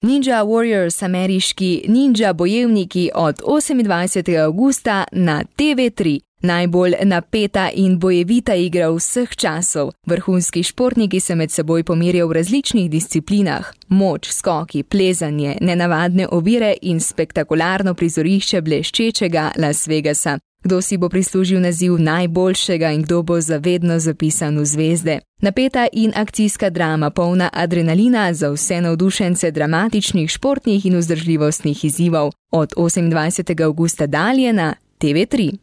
Ninja Warriors, ameriški ninja bojevniki od 28. avgusta na TV3. Najbolj napeta in bojevita igra vseh časov. Vrhunski športniki se med seboj pomerijo v različnih disciplinah. Moč, skoki, plezanje, nenavadne ovire in spektakularno prizorišče bleščečega Las Vegasa. Kdo si bo prislužil naziv najboljšega in kdo bo zavedno zapisan v zvezde. Napeta in akcijska drama, polna adrenalina za vse navdušence dramatičnih, športnih in vzdržljivostnih izzivov. Od 28. avgusta dalje na TV3.